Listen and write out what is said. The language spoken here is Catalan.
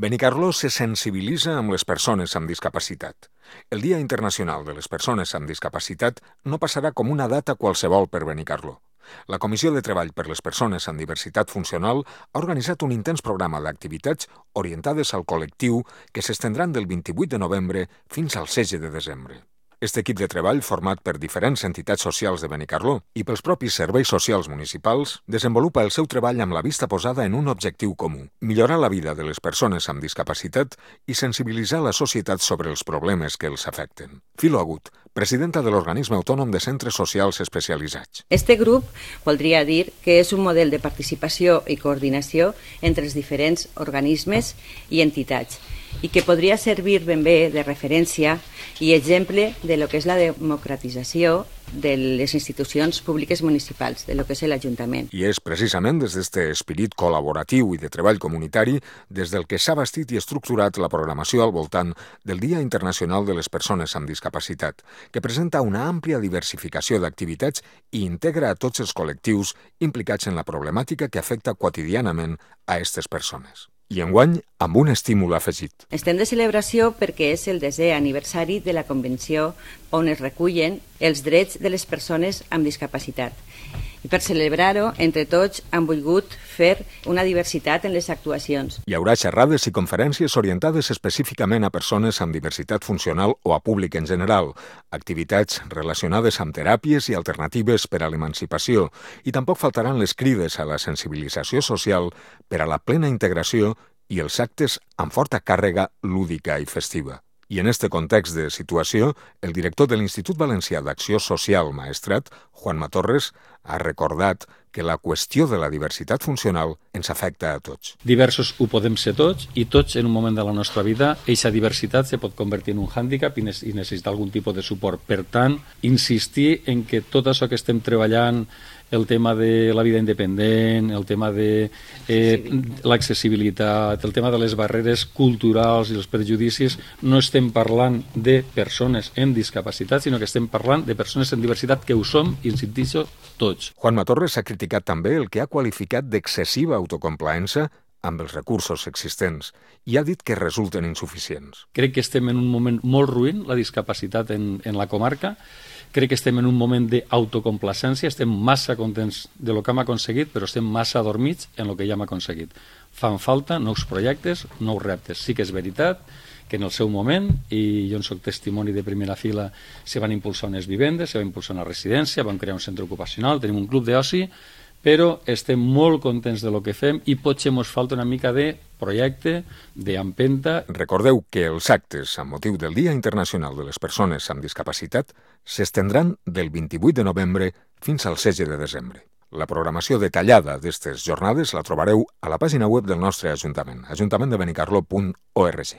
Benicarló se sensibilitza amb les persones amb discapacitat. El Dia Internacional de les Persones amb Discapacitat no passarà com una data qualsevol per Benicarló. La Comissió de Treball per les Persones amb Diversitat Funcional ha organitzat un intens programa d'activitats orientades al col·lectiu que s'estendran del 28 de novembre fins al 16 de desembre. Este equip de treball, format per diferents entitats socials de Benicarló i pels propis serveis socials municipals, desenvolupa el seu treball amb la vista posada en un objectiu comú: millorar la vida de les persones amb discapacitat i sensibilitzar la societat sobre els problemes que els afecten. Filo Agut, presidenta de l'Organisme Autònom de Centres Socials Especialitzats. Este grup voldria dir que és un model de participació i coordinació entre els diferents organismes i entitats i que podria servir ben bé de referència i exemple de lo que és la democratització de les institucions públiques municipals, de lo que és l'Ajuntament. I és precisament des d'este esperit col·laboratiu i de treball comunitari des del que s'ha bastit i estructurat la programació al voltant del Dia Internacional de les Persones amb Discapacitat, que presenta una àmplia diversificació d'activitats i integra a tots els col·lectius implicats en la problemàtica que afecta quotidianament a aquestes persones. I enguany, amb un estímul afegit. Estem de celebració perquè és el 10è aniversari de la Convenció on es recullen els drets de les persones amb discapacitat. I per celebrar-ho, entre tots, han volgut fer una diversitat en les actuacions. Hi haurà xerrades i conferències orientades específicament a persones amb diversitat funcional o a públic en general, activitats relacionades amb teràpies i alternatives per a l'emancipació, i tampoc faltaran les crides a la sensibilització social per a la plena integració i els actes amb forta càrrega lúdica i festiva. I en este context de situació, el director de l'Institut Valencià d'Acció Social Maestrat, Juanma Torres, ha recordat que la qüestió de la diversitat funcional ens afecta a tots. Diversos ho podem ser tots i tots en un moment de la nostra vida aquesta diversitat se pot convertir en un hàndicap i necessitar algun tipus de suport. Per tant, insistir en que tot això que estem treballant, el tema de la vida independent, el tema de l'accessibilitat, el tema de les barreres culturals i els prejudicis, no estem parlant de persones amb discapacitat, sinó que estem parlant de persones amb diversitat que ho som i ens insistixo tots. Juanma Torres ha criticat també el que ha qualificat d'excessiva autocomplaença amb els recursos existents i ha dit que resulten insuficients. Crec que estem en un moment molt ruïn, la discapacitat en la comarca. Crec que estem en un moment d'autocomplacència, estem massa contents de lo que hem aconseguit, però estem massa adormits en el que ja hem aconseguit. Fan falta nous projectes, nous reptes. Sí que és veritat que en el seu moment, i jo en soc testimoni de primera fila, se van impulsar unes vivendes, se va impulsar una residència, vam crear un centre ocupacional, tenim un club d'oci, però estem molt contents de lo que fem i potser ens falta una mica de projecte, d'empenta. Recordeu que els actes amb motiu del Dia Internacional de les Persones amb Discapacitat s'estendran del 28 de novembre fins al 16 de desembre. La programació detallada d'aquestes jornades la trobareu a la pàgina web del nostre Ajuntament, ajuntamenttdebenicarló.org.